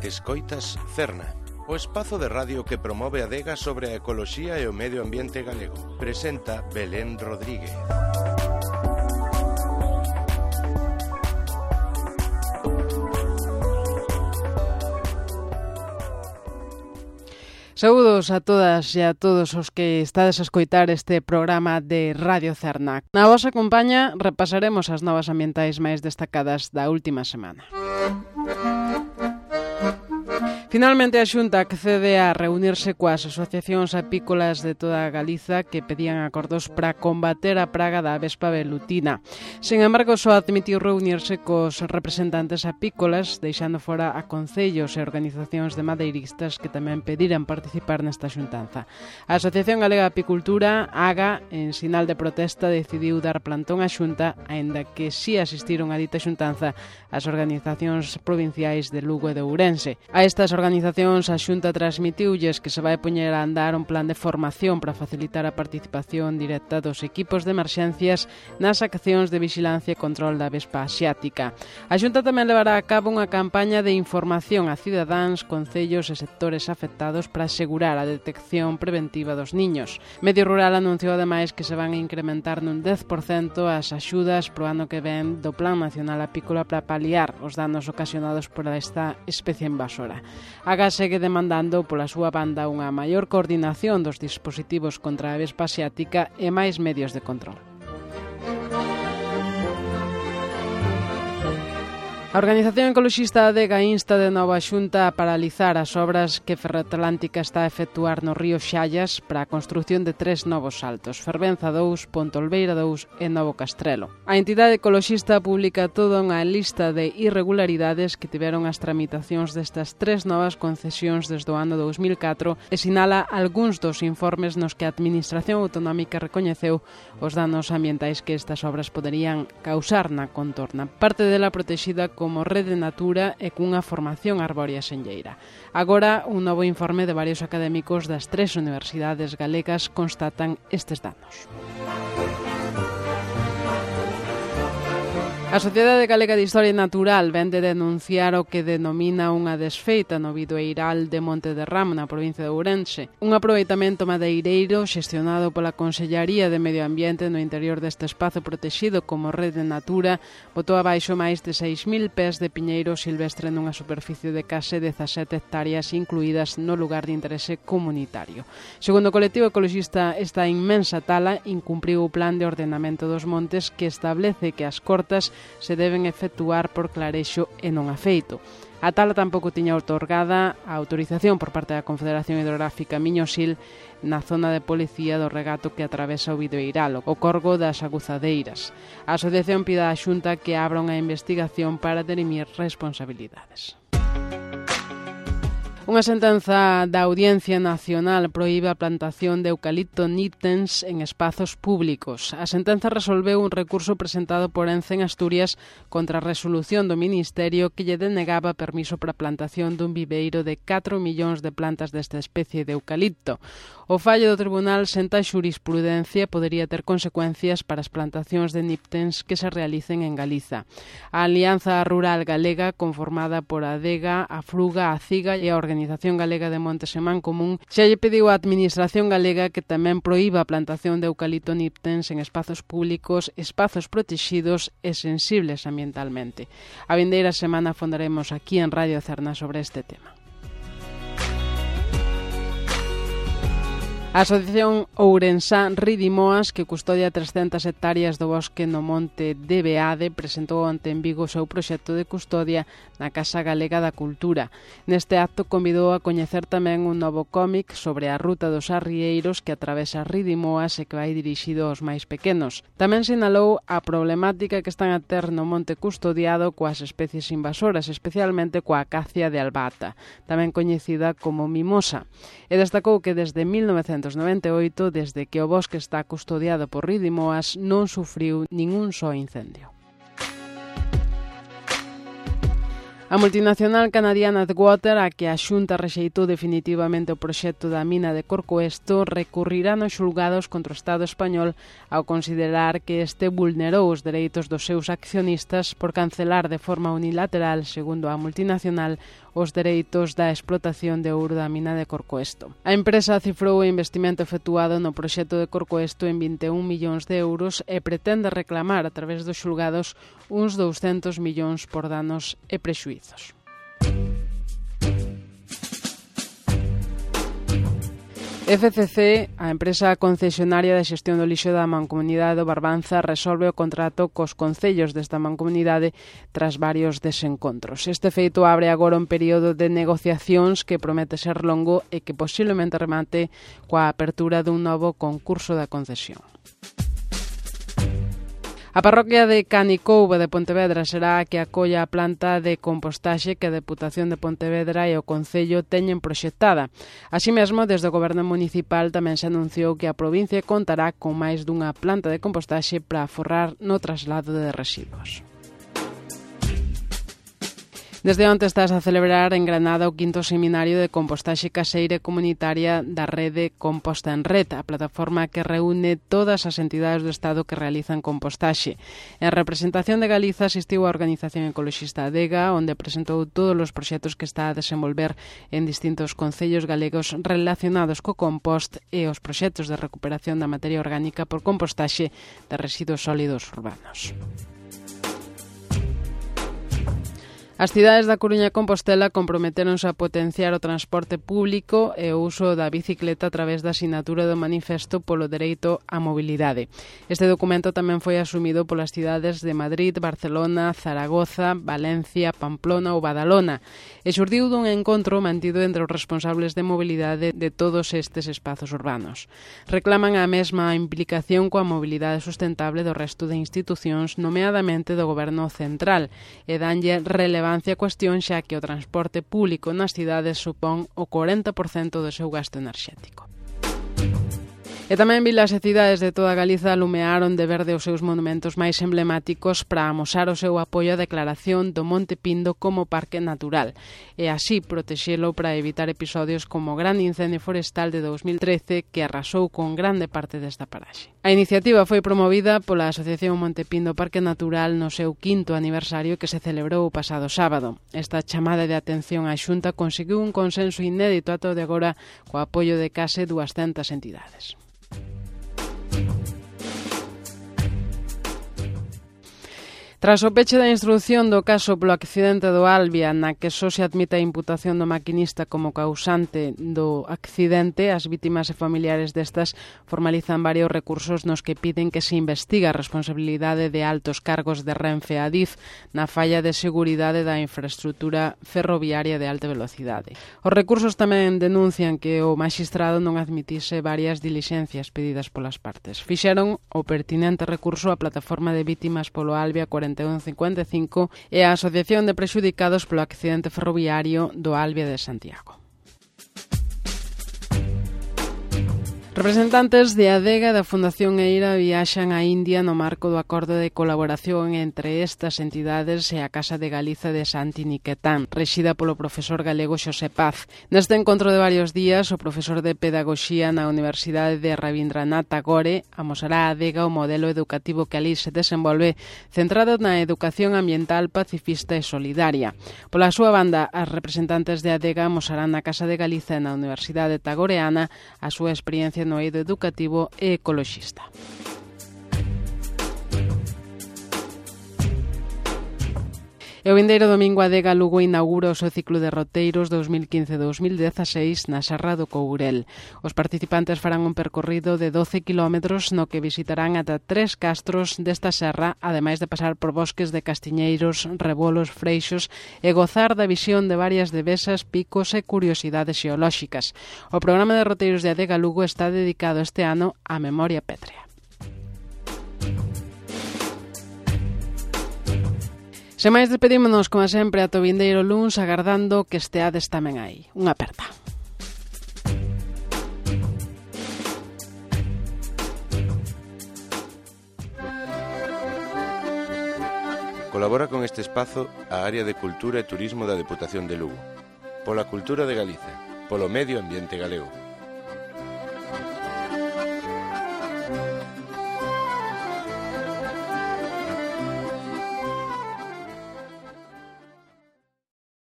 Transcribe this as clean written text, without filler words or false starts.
Escoitas Cerna, o espazo de radio que promove a adega sobre a ecoloxía e o medio ambiente galego. Presenta Belén Rodríguez. Saúdos a todas e a todos os que estades a escoitar este programa de Radio Cerna. Na vosa compañía repasaremos as novas ambientais máis destacadas da última semana. Finalmente, a Xunta accede a reunirse coas asociacións apícolas de toda Galiza que pedían acordos para combater a praga da avespa velutina. Sen embargo, só admitiu reunirse cos representantes apícolas, deixando fora a concellos e organizacións de madeiristas que tamén pediran participar nesta xuntanza. A Asociación Galega de Apicultura, AGA, en sinal de protesta, decidiu dar plantón á Xunta, aínda que si asistiron a dita xuntanza as organizacións provinciais de Lugo e de Ourense. A estas organizacións a Xunta transmitiulles que se vai poñer a andar un plan de formación para facilitar a participación directa dos equipos de emerxencias nas accións de vixilancia e control da avespa asiática. A Xunta tamén levará a cabo unha campaña de información a cidadáns, concellos e sectores afectados para asegurar a detección preventiva dos niños. Medio Rural anunciou ademais que se van a incrementar nun 10% as axudas pro ano que ven do Plan Nacional Apícola para paliar os danos ocasionados por esta especie invasora. A AGA segue demandando pola súa banda unha maior coordinación dos dispositivos contra a avespa asiática e máis medios de control. A organización ecoloxista ADEGA insta de novo a Xunta a paralizar as obras que Ferroatlántica está a efectuar no río Xallas para a construción de 3 novos saltos, Fervenza 2, Pontolbeira 2 e Novo Castrelo. A entidade ecoloxista publica toda unha lista de irregularidades que tiveron as tramitacións destas 3 novas concesións desde o ano 2004 e sinala algúns dos informes nos que a Administración Autonómica recoñeceu os danos ambientais que estas obras poderían causar na contorna. Parte dela protexida como Rede Natura e cunha formación arbórea senlleira. Agora, un novo informe de varios académicos das 3 universidades galegas constatan estes danos. A Sociedade Galega de Historia Natural vén de denunciar o que denomina unha desfeita no bidoeiral de Monte de Ramo, na provincia de Ourense. Un aproveitamento madeireiro xestionado pola Consellaría de Medio Ambiente no interior deste espazo protexido como Rede Natura botou abaixo máis de 6.000 pés de piñeiro silvestre nunha superficie de case 17 hectáreas incluídas no lugar de interese comunitario. Segundo o colectivo ecoloxista, esta inmensa tala incumpriu o plan de ordenamento dos montes que establece que as cortas se deben efectuar por clarexo e non afeito. A tala tampouco tiña outorgada a autorización por parte da Confederación Hidrográfica Miño-Sil na zona de policía do regato que atravesa o bidoeiral, o Corgo das Aguzadeiras. A asociación pide á Xunta que abra unha investigación para derimir responsabilidades. Unha sentenza da Audiencia Nacional proíbe a plantación de eucalipto niptens en espazos públicos. A sentenza resolveu un recurso presentado por Ence en Asturias contra a resolución do Ministerio que lle denegaba permiso para a plantación dun viveiro de 4 millóns de plantas desta especie de eucalipto. O fallo do tribunal senta xurisprudencia podería ter consecuencias para as plantacións de niptens que se realicen en Galiza. A Alianza Rural Galega, conformada por a ADEGA, a Fruga, a CIGA e a Organización Galega de Montes e Mancomún, xa lle pediu á Administración Galega que tamén proíba a plantación de eucalipto niptens en espazos públicos, espazos protexidos e sensibles ambientalmente. A vindeira semana fondaremos aquí en Radio Cerna sobre este tema. A Asociación Ourensá Ridimoas, que custodia 300 hectáreas do bosque no monte de Beade, presentou onte en Vigo o seu proxecto de custodia na Casa Galega da Cultura. Neste acto convidou a coñecer tamén un novo cómic sobre a ruta dos arrieiros que atravesa Ridimoas e que vai dirixido aos máis pequenos. Tamén sinalou a problemática que están a ter no monte custodiado coas especies invasoras, especialmente coa acacia de albata, tamén coñecida como mimosa, e destacou que desde 1998, desde que o bosque está custodiado por Ridimoas, non sufriu ningún só incendio. A multinacional canadiana Adwater, a que a Xunta rexeitou definitivamente o proxecto da mina de Corcoesto, recurrirá nos xulgados contra o Estado español ao considerar que este vulnerou os dereitos dos seus accionistas por cancelar de forma unilateral, segundo a multinacional, os dereitos da explotación de ouro da mina de Corcoesto. A empresa cifrou o investimento efectuado no proxecto de Corcoesto en 21 millóns de euros e pretende reclamar a través dos xulgados uns 200 millóns por danos e prexuízos. FCC, a empresa concesionaria de xestión do lixo da Mancomunidade do Barbanza, resolve o contrato cos concellos desta mancomunidade tras varios desencontros. Este feito abre agora un período de negociacións que promete ser longo e que posiblemente remate coa apertura dun novo concurso da concesión. A parroquia de Canicouva de Pontevedra será a que acolla a planta de compostaxe que a Deputación de Pontevedra e o Concello teñen proxectada. Así mesmo, desde o Goberno Municipal tamén se anunciou que a provincia contará con máis dunha planta de compostaxe para aforrar no traslado de residuos. Desde onte estás a celebrar en Granada o 5º seminario de compostaxe caseira e comunitaria da rede Composta en Red, a plataforma que reúne todas as entidades do Estado que realizan compostaxe. En representación de Galiza asistiu a organización ecoloxista Adega, onde presentou todos os proxectos que está a desenvolver en distintos concellos galegos relacionados co compost e os proxectos de recuperación da materia orgánica por compostaxe de residuos sólidos urbanos. As cidades da Coruña e Compostela comprometeronse a potenciar o transporte público e o uso da bicicleta a través da sinatura do manifesto polo dereito á mobilidade. Este documento tamén foi asumido polas cidades de Madrid, Barcelona, Zaragoza, Valencia, Pamplona ou Badalona e xurdiu dun encontro mantido entre os responsables de mobilidade de todos estes espazos urbanos. Reclaman a mesma implicación coa mobilidade sustentable do resto de institucións, nomeadamente do Goberno Central, e danlle relevancia a cuestión xa que o transporte público nas cidades supón o 40% do seu gasto enerxético. E tamén vilas e cidades de toda Galiza alumearon de verde os seus monumentos máis emblemáticos para amosar o seu apoio á declaración do Monte Pindo como parque natural e así protexelo para evitar episodios como o gran incendio forestal de 2013 que arrasou con grande parte desta paraxe. A iniciativa foi promovida pola Asociación Monte Pindo Parque Natural no seu 5º aniversario que se celebrou o pasado sábado. Esta chamada de atención á Xunta conseguiu un consenso inédito ata o de agora co apoio de case 200 entidades. Tras o peche da instrución do caso polo accidente do Albia, na que só se admite a imputación do maquinista como causante do accidente, as vítimas e familiares destas formalizan varios recursos nos que piden que se investigue a responsabilidade de altos cargos de Renfe e Adif na falla de seguridade da infraestrutura ferroviaria de alta velocidade. Os recursos tamén denuncian que o maxistrado non admitise varias dilixencias pedidas polas partes. Fixeron o pertinente recurso á plataforma de vítimas polo Albia 4155 e a Asociación de Prexudicados polo accidente ferroviario do Albia de Santiago. Representantes de Adega e da Fundación Eira viaxan a India no marco do acordo de colaboración entre estas entidades e a Casa de Galiza de Santi Niquetán, rexida polo profesor galego Xosé Paz. Neste encontro de varios días, o profesor de Pedagogía na Universidade de Rabindranath Tagore amosará a Adega o modelo educativo que ali se desenvolve, centrado na educación ambiental, pacifista e solidaria. Pola súa banda, as representantes de Adega amosarán na Casa de Galiza e na Universidade Tagoreana a súa experiencia no eido educativo e ecoloxista. E o vindeiro domingo Adega Lugo inaugura o seu ciclo de roteiros 2015-2016 na Serra do Courel. Os participantes farán un percorrido de 12 kilómetros no que visitarán ata 3 castros desta serra, ademais de pasar por bosques de castiñeiros, rebolos, freixos e gozar da visión de varias devesas, picos e curiosidades xeolóxicas. O programa de roteiros de Adega Lugo está dedicado este ano á memoria pétrea. Sen máis, despedímonos, como sempre, ata o vindeiro luns, agardando que esteades tamén aí. Unha aperta. Colabora con este espazo a área de Cultura e Turismo da Deputación de Lugo. Pola cultura de Galicia, polo medio ambiente galego.